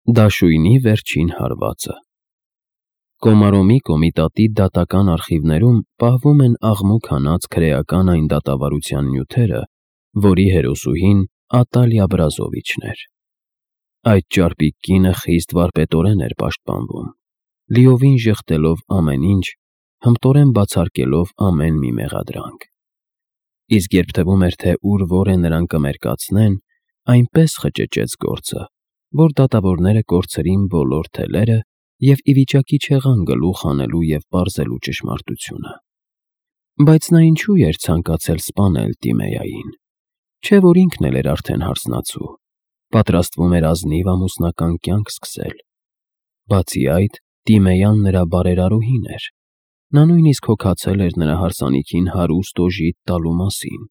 Դաշույնի վերջին հարվածը։ Կոմարոմի կոմիտատի դատական արխիվներում պահվում են աղմուկ հանած քրեական այն դատավարության նյութերը, որի հերոսուհին Ատալիա Բրազովիչն էր։ Այդ ճարպիկ կինը խիստ վարպետորեն էր պաշտպանվում, լիովին ժխտելով ամեն ինչ, հմտորեն բացարկելով ամեն մի մեղադրանք։ Իսկ երբ թվում էր, թե ուր որ է նրան կմերկացնեն, այնպես խճճեց գործը, որ դատավորները կորցրին բոլոր թելերը և ի վիճակի չեղան գլուխ հանելու և պարզելու ճշմարտությունը։ Բայց նա ինչու էր ցանկացել սպանել Տիմեային, չէ՞ որ ինքն էլ էր արդեն հարսնացու, պատրաստվում էր ազնիվ ամուսնական կյանք սկսել։ Բացի այդ, Տիմեյան նրա բարերարուհին էր, նա նույնիսկ հոգացել էր նրա հարսանիքին հարուստ օժիտ տալու մասին։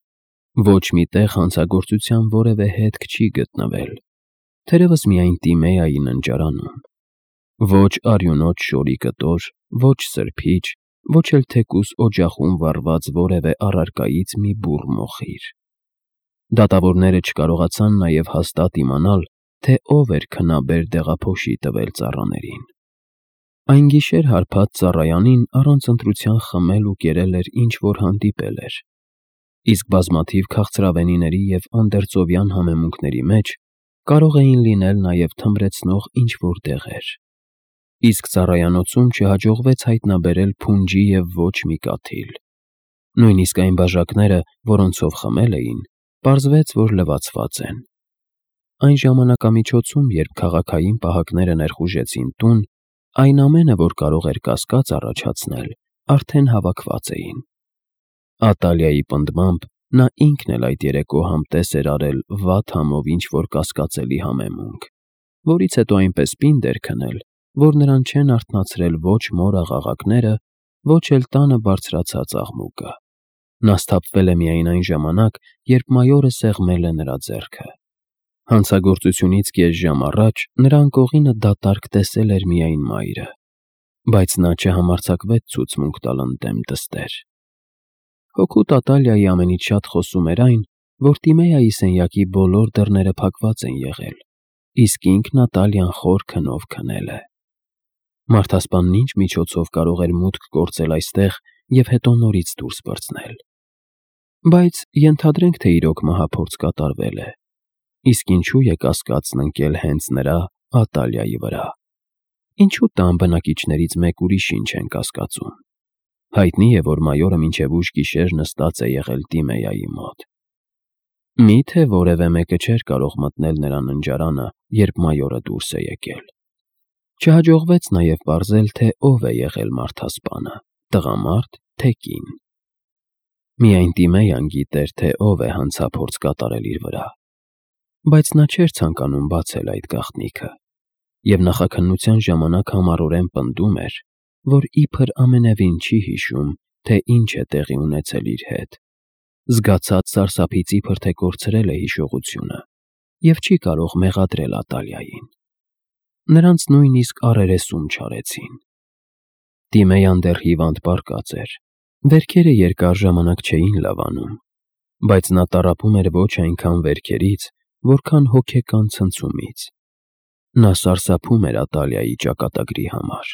Ոչ մի տեղ հանցագործության որևէ հետք չի գտնվել, թերևս միայն Տիմեայի ննջարանում։ Ոչ արյունոտ շորի կտոր, ոչ սրբիչ, ոչ էլ թեկուզ օջախում վառված որևէ առարկայից մի բուռ մոխիր։ Դատավորները չկարողացան նաև հաստատ իմանալ, թե ով էր քնաբեր դեղափոշի տվել ծառաներին։ Այն գիշեր հարբած ծառայանին առանց ընտրության խմել ու կերել էր ինչ-որ հանդիպել էր, իսկ բազմաթիվ քաղցրավենիների և անդերձովյան համեմունքների մեջ կարող էին լինել նաև թմրեցնող ինչ-որ դեղեր։ Իսկ ծառայանոցում չհաջողվեց հայտնաբերել փունջի և ոչ մի կաթիլ։ Նույնիսկ այն բաժակները, որոնցով խմել էին, պարզվեց, որ լվացված են։ Այն ժամանակամիջոցում, երբ քաղաքային պահակները ներխուժեցին տուն, այն ամենը, որ կարող էր կասկած առաջացնել, արդեն հավաքված էին։ Ատալիայի պնդմամբ, նա ինքն էլ այդ երեկո համտես էր արել վատ համով ինչ-որ կասկածելի համեմունք, որից հետո այնպես պինդ էր քնել, որ նրան չեն արթնացրել ոչ մոր աղաղակները, ոչ էլ տանը բարձրացած աղմուկը։ Նա սթափվել է միայն այն ժամանակ, երբ մայորը սեղմել է նրա ձեռքը։ Հանցագործությունից կես ժամ առաջ նրա անկողինը դատարկ տեսել էր միայն մայրը, բայց նա չհամարձակվեց ցուցմունք տալ ընդդեմ դստեր։ Հօգուտ Ատալիայի ամենից շատ խոսում էր այն, որ Տիմեայի սենյակի բոլոր դռները փակված են եղել, իսկ ինքն Ատալիան խոր քնով քնել է։ Մարդասպանն ինչ միջոցով կարող էր մուտք գործել այստեղ և հետո նորից դուրս պրծնել։ Բայց ենթադրենք, թե իրոք մահափորձ կատարվել է, իսկ ինչու է կասկածն ընկել հենց նրա՝ Ատալիայի վրա։ Ինչու տան բնակիչներից մեկ ուրիշին չեն կասկածում։ Հայտնի է, որ մայորը մինչև ուշ գիշեր նստած է եղել Տիմեայի մոտ։ Մի՞թե որևէ մեկը չէր կարող մտնել նրա ննջարանը, երբ մայորը դուրս է եկել։ Չհաջողվեց նաև պարզել, թե ով է եղել մարդասպանը՝ տղամարդ, թե կին։ Միայն Տիմեյան գիտեր, թե ով է հանցափորձ կատարել իր վրա։ Բայց նա չէր ցանկանում բացել այդ գաղտնիքը, և նախաքննության ժամանակ համառորեն պնդում էր, որ իբր ամենևին չի հիշում, թե ինչ է տեղի ունեցել իր հետ, զգացած սարսափից իբր թե կորցրել է հիշողությունը և չի կարող մեղադրել Ատալիային։ Նրանց նույնիսկ առերեսում չարեցին։ Տիմեյան դեռ հիվանդ պառկած էր, վերքերը երկար ժամանակ չէին լավանում, բայց նա տառապում էր ոչ այնքան վերքերից, որքան հոգեկան ցնցումից։ Նա սարսափում էր Ատալիայի ճակատագրի համար։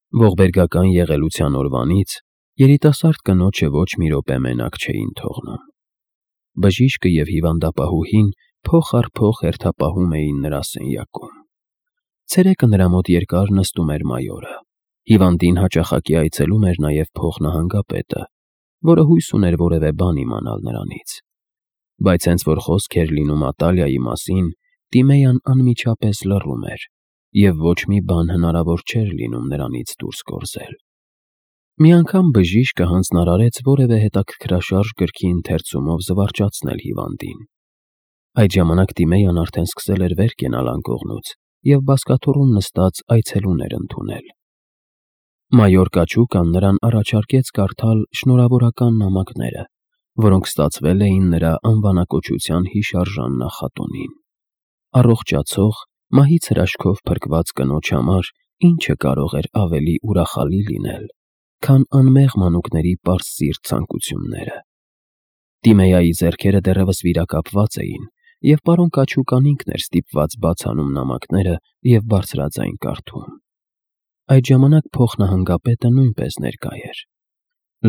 Ողբերգական եղելության օրվանից երիտասարդ կնոջը ոչ մի րոպե մենակ չէին թողնում։ Բժիշկը և հիվանդապահուհին փող առ փող հերթապահում էին նրա սենյակում։ Ցերեկը նրա մոտ երկար նստում էր մայորը։ Հիվանդին հաճախակի այցելում էր նաև փոխնահանգապետը, որը հույս ուներ որևէ բան իմանալ նրանից։ Բայց հենց որ խոսք էր լինում Ատալիայի մասին, Տիմեյան անմիջապես լռում էր, և ոչ մի բան հնարավոր չէր լինում նրանից դուրս գործել։ Մի անգամ բժիշկը հանձնարարեց որևէ հետաքրքրաշարժ գրքի ընթերցումով զվարճացնել հիվանդին։ Այդ ժամանակ Տիմեյան արդեն սկսել էր վեր կենալ անկողնուց և բազկաթոռում նստած այցելուներ ընդունել։ Մայոր Կաչուկան նրան առաջարկեց կարդալ շնորհավորական նամակները, որոնք ստացվել էին նրա անվանակոչության հիշարժան նախատոնին։ Առողջացող, մահից հրաշքով փրկված կնոջ համար ինչը կարող էր ավելի ուրախալի լինել, քան անմեղ մանուկների պարզ սիրտ ցանկությունները։ Տիմեայի ձեռքերը դեռևս վիրակապված էին, և պարոն Կաչուկան ինքն էր ստիպված բաց անում նամակները և բարձրաձայն կարդում։ Այդ ժամանակ փոխնահանգապետը նույնպես ներկա էր։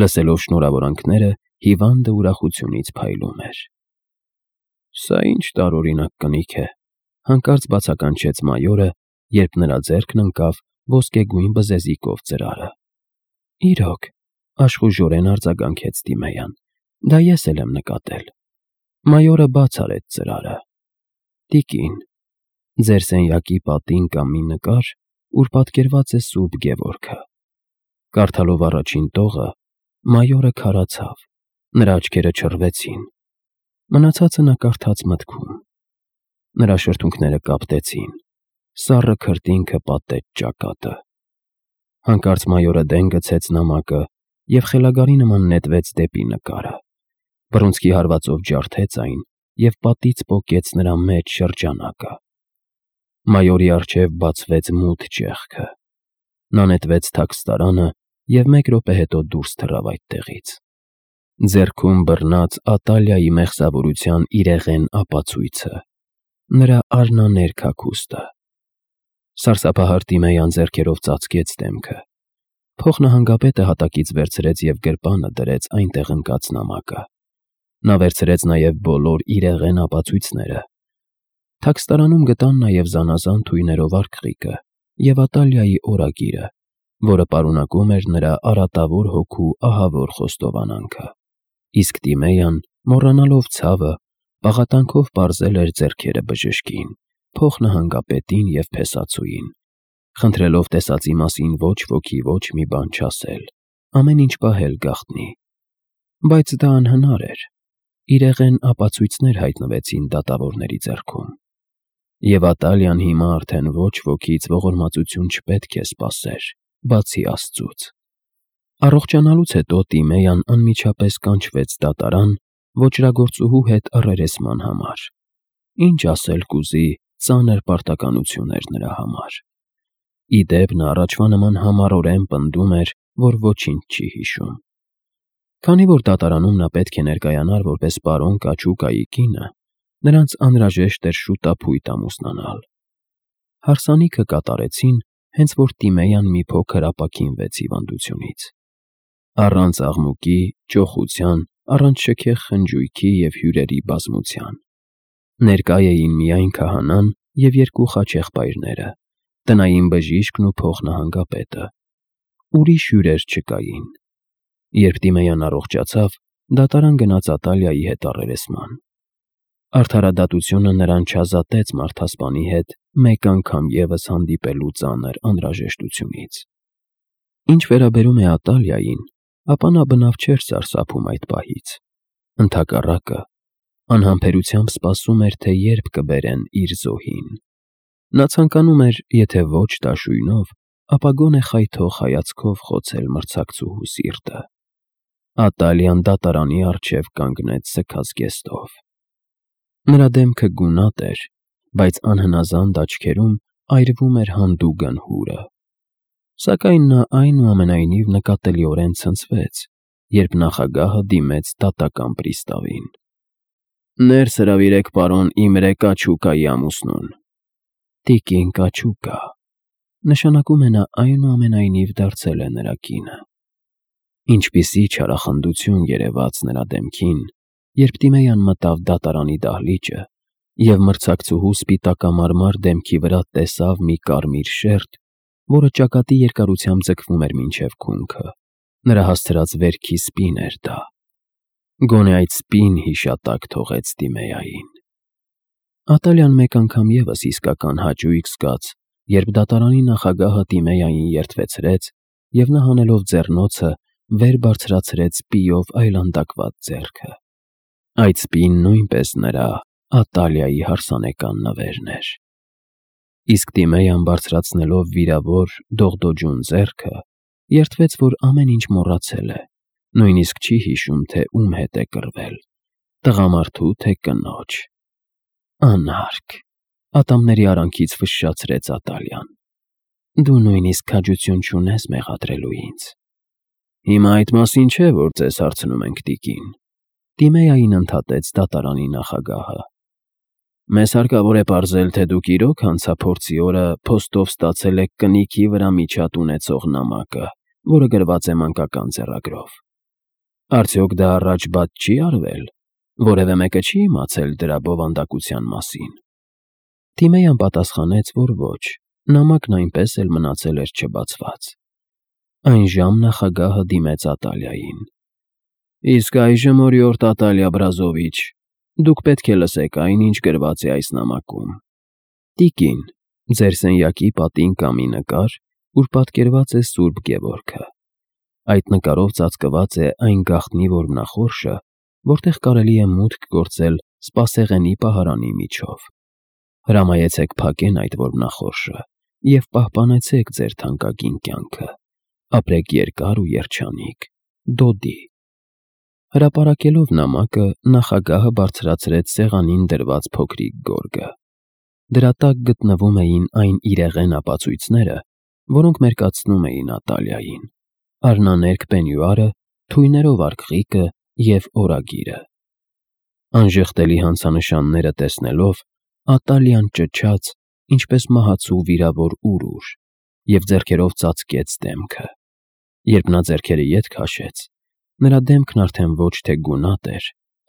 Լսելով շնորհավորանքները, հիվանդը ուրախությունից փայլում էր։ «Սա ինչ տարօրինակ կնիկ է», հանկարծ բացականչեց մայորը, երբ նրա ձեռքն ընկավ ոսկեգույն բզեզիկով ծրարը։ «Իրոք», աշխուժորեն արձագանքեց Տիմեյան, «դա ես էլ եմ նկատել»։ Մայորը բաց արեց ծրարը։ «Տիկին, ձեր սենյակի պատին կա մի նկար, ուր պատկերված է Սուրբ Գևորգը»։ Կարդալով առաջին տողը, մայորը քարացավ, նրա աչքերը չռվեցին։ Մնացածը նա կարդաց մտքում։ Նրա շրթունքները կապտեցին, սառը քրտինքը պատեց ճակատը։ Հանկարծ մայորը դեն գցեց նամակը և խելագարի նման նետվեց դեպի նկարը։ Բռունցքի հարվածով ջարդեց այն և պատից պոկեց նրա մեծ շրջանակը։ Մայորի առջև բացվեց մութ ճեղքը։ Նա նետվեց թաքստարանը և 1 րոպե հետո դուրս թռավ այդտեղից։ Ձեռքում բռնած Ատալիայի մեղսավորության իրեղեն ապացույցը, նրա արնաներ քաքուստը։ Սարսափահար Տիմեյան ձեռքերով ծածկեց դեմքը։ Փոխնահանգապետը հատակից վերցրեց և գրպանը դրեց այնտեղ ընկած նամակը։ Նա վերցրեց նաև բոլոր իրեղեն ապացույցները։ Թաքստարանում գտան նաև զանազան թույներով արգղիկը և Ատալիայի օրագիրը, որը պարունակում էր նրա արատավոր հոգու ահավոր խոստովանանքը։ Իսկ Տիմեյան, մոռանալով ցավը, պաղատանքով պարզել էր ձեռքերը բժշկին, փոխնահանգապետին և փեսացուին, խնդրելով տեսածի մասին ոչ ոքի ոչ մի բան չասել, ամեն ինչ պահել գաղտնի։ Բայց դա անհնար էր։ Իրեղեն ապացույցներ հայտնվեցին դատավորների ձեռքում։ Եվ Ատալիան հիմա արդեն ոչ ոքից ողորմածություն չպետք է սպասեր, բացի Աստծուց։ Առողջանալուց հետո Տիմեյան անմիջապես կանչվեց դատարան ոճրագործուհու հետ առերեսման համար։ Ինչ ասել կուզի, ծանր պարտականություն էր նրա համար։ Ի դեպ, նա առաջվա նման համառորեն պնդում էր, որ ոչինչ չի հիշում։ Քանի որ դատարանում նա պետք է ներկայանար որպես պարոն Կաչուկայի կինը, նրանց անհրաժեշտ էր շուտափույթ ամուսնանալ։ Հարսանիքը կատարեցին, հենց որ Տիմեյան մի փոքր ապաքինվեց հիվանդությունից։ Առանց աղմուկի, ճոխության, առանց շքեղ խնջույքի և հյուրերի բազմության։ Ներկա էին միայն քահանան և 2 խաչեղբայրները, տնային բժիշկն ու փոխնահանգապետը։ Ուրիշ հյուրեր չկային։ Երբ Տիմեյան առողջացավ, դատարան գնաց Ատալիայի հետ առերեսման։ Արդարադատությունը նրան չազատեց մարդասպանի հետ մեկ անգամ ևս հանդիպելու ծանր անհրաժեշտությունից։ Ինչ վերաբերում է Ատալիային, ապա նա բնավ չէր սարսափում այդ պահից։ Ընդհակառակը, անհամբերությամբ սպասում էր, թե երբ կբերեն իր զոհին։ Նա ցանկանում էր, եթե ոչ դաշույնով, ապա գոնե խայթող հայացքով խոցել մրցակցուհու սիրտը։ Ատալիան դատարանի առջև կանգնեց սգած զգեստով։ Նրա դեմքը գունատ էր, բայց անհնազանդ աչքերում այրվում էր հանդուգն հուրը։ Սակայն նա այնուամենայնիվ նկատելիորեն ցնցվեց, երբ նախագահը դիմեց դատական պրիստավին։ «Ներս հրավիրեք պարոն Իմրե Կաչուկայի ամուսնուն»։ «Տիկին Կաչուկա», նշանակում է նա այնուամենայնիվ դարձել է նրա կինը։ Ինչպիսի չարախնդություն երևաց նրա դեմքին, երբ Տիմեյան մտավ դատարանի դահլիճը և մրցակցուհու սպիտակամարմար դեմքի վրա տեսավ մի կարմիր շերտ, որը ճակատի երկարությամբ ձգվում էր մինչև քունքը։ Նրա հասցրած վերքի սպին էր դա։ Գոնե այդ սպին հիշատակ թողեց Տիմեյային։ Ատալիան մեկ անգամ ևս իսկական հաճույք զգաց, երբ դատարանի նախագահը Տիմեյային երդվեցրեց, և նա հանելով ձեռնոցը վեր բարձրացրեց սպիով այլանդակված ձեռքը։ Այդ սպին նույնպես նրա Ատալիայի հարսանեկան նվերն էր։ Իսկ Տիմեյան բարձրացնելով վիրավոր, դողդոջուն ձեռքը, երդվեց, որ ամեն ինչ մոռացել է, նույնիսկ չի հիշում, թե ում հետ է կռվել՝ տղամարդու, թե կնոջ։ Անարգ, ատամների արանքից ֆշշացրեց Ատալիան։ Դու նույնիսկ քաջություն չունես մեղադրելու ինձ։ Հիմա այդ մասին չէ, որ ձեզ հարցնում ենք, տիկին, Տիմեյային ընդհատեց դատարանի նախագահը։ Մեզ հարկավոր է պարզել, թե դուք իրոք հանցափորձի օրը փոստով ստացել եք կնիքի վրա միջատ ունեցող նամակը, որը գրված է մանկական ձեռագրով։ Արդյոք դա առաջ բաց չի արվել։ Որևէ մեկը չի իմացել դրա բովանդակության մասին։ Թիմեյան պատասխանեց, որ ոչ, նամակն այնպես էլ մնացել էր չբացված։ Այն ժամ նախագահը դիմեց Ատալիային։ Իսկ այժմ, օրիորդ Ատալիա Բրազովիչ, դուք պետք է լսեք այն, ինչ գրված է այս նամակում։ Տիկին, ձեր սենյակի պատին կա մի նկար, ուր պատկերված է Սուրբ Գևորգը։ Այդ նկարով ծածկված է այն գաղտնի որմնախորշը, որտեղ կարելի է մուտք գործել սպասեղենի պահարանի միջով։ Հրամայեցեք փակեն այդ որմնախորշը և պահպանեցեք ձեր թանկագին կյանքը։ Ապրեք երկար ու երջանիկ։ Դոդի։ Հրապարակելով նամակը, նախագահը բարձրացրեց սեղանին դրված փոքրիկ գորգը։ Դրա տակ գտնվում էին այն իրեղեն ապացույցները, որոնք մերկացնում էին Ատալիային. արնաներկ պենյուարը, թույներով արկղիկը և օրագիրը։ Անժխտելի հանցանշանները տեսնելով, Ատալիան ճչաց, ինչպես մահացու վիրավոր ուր, և ձեռքերով ծածկեց դեմքը։ Երբ նա ձեռքերը ետ քաշեց, նրա դեմքն արդեն ոչ թե գունատ էր,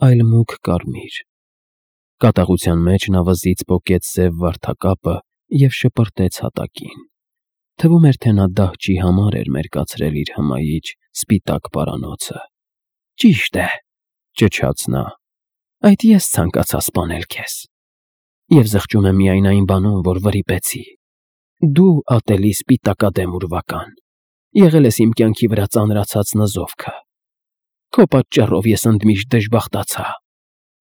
այլ մուգ կարմիր։ Կատաղության մեջ նա վզից պոկեց սև վարդակապը և շպրտեց հատակին։ Թվում էր, թե նա դահճի համար էր մերկացրել իր հմայիչ սպիտակ պարանոցը։ Ճիշտ է, ճչաց նա, այդ ես ցանկացա սպանել քեզ։ Եվ զղջում եմ միայն այն բանում, որ վրիպեցի։ Դու ատելի սպիտակադեմ ուրվական, եղել ես իմ կյանքի վրա ծանրացած նզովքը։ Քո պատճառով ես ընդմիշտ դժբախտացա։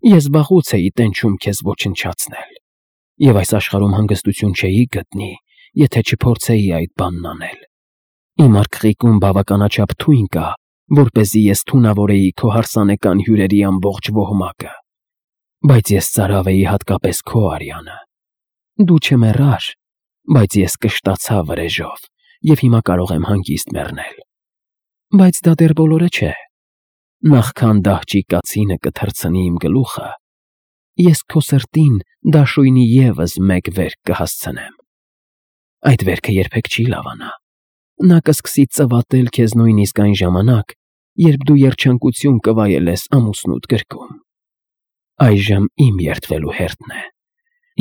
Ես վաղուց էի տենչում քեզ ոչնչացնել։ Եվ այս աշխարհում հանգստություն չէի գտնի, եթե չփորձեի այդ բանն անել։ Իմ արկղիկում բավականաչափ թույն կա, որպեսզի ես թունավորեի քո հարսանեկան հյուրերի ամբողջ ոհմակը։ Բայց ես ծարավ էի հատկապես քո արյանը։ Դու չմեռար, բայց ես կշտացա վրեժով և հիմա կարող եմ հանգիստ մեռնել։ Բայց դա դեռ բոլորը չէ։ Նախքան դահճի կացինը կթռցնի իմ գլուխը, ես քո սրտին դաշույնի ևս մեկ վերք կհասցնեմ։ Այդ վերքը երբեք չի լավանա։ Նա կսկսի ծվատել քեզ նույնիսկ այն ժամանակ, երբ դու երջանկություն կվայելես ամուսնուդ գրկում։ Այժմ իմ երդվելու հերթն է։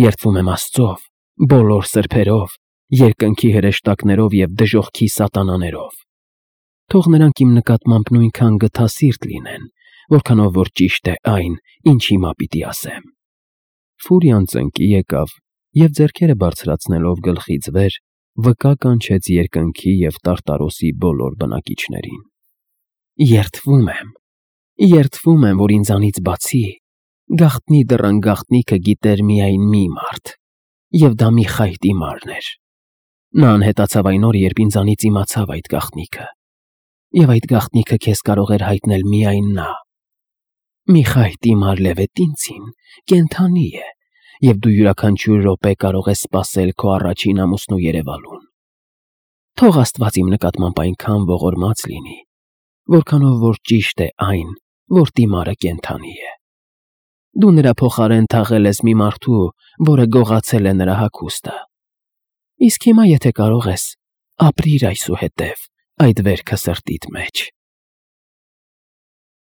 Երդվում եմ Աստծով, բոլոր սրբերով, երկնքի հրեշտակներով և դժոխքի սատանաներով։ Թող նրանք իմ նկատմամբ նույնքան գթասիրտ լինեն, որքանով որ ճիշտ է այն, ինչ հիմա պիտի ասեմ։ Ֆուրիան ծնկի եկավ և ձեռքերը բարձրացնելով գլխից վեր, վկա կանչեց երկնքի և Տարտարոսի բոլոր բնակիչներին։ Երդվում եմ, որ ինձանից բացի գաղտնի դռան գաղտնիքը գիտեր միայն մի մարդ, և դա Միխայիլի մարն էր։ Նա անհետացավ այն օրը, երբ ինձանից իմացավ այդ գաղտնիքը, և այդ գաղտնիքը քեզ կարող էր հայտնել միայն նա։ Միխայիլի մար Լևետինցին կենդանի է, և դու յուրաքանչյուր րոպե կարող ես սպասել քո առաջին ամուսնու երևալուն։ Թող Աստված իմ նկատմամբ այնքան ողորմած լինի, որքանով որ ճիշտ է այն, որ դիմարը կենդանի է։ Դու նրա փոխարեն թաղել ես մի մարդու, որը գողացել է նրա հագուստը։ Իսկ հիմա, եթե կարող ես, ապրիր այսուհետև այդ վերքը սրտիդ մեջ։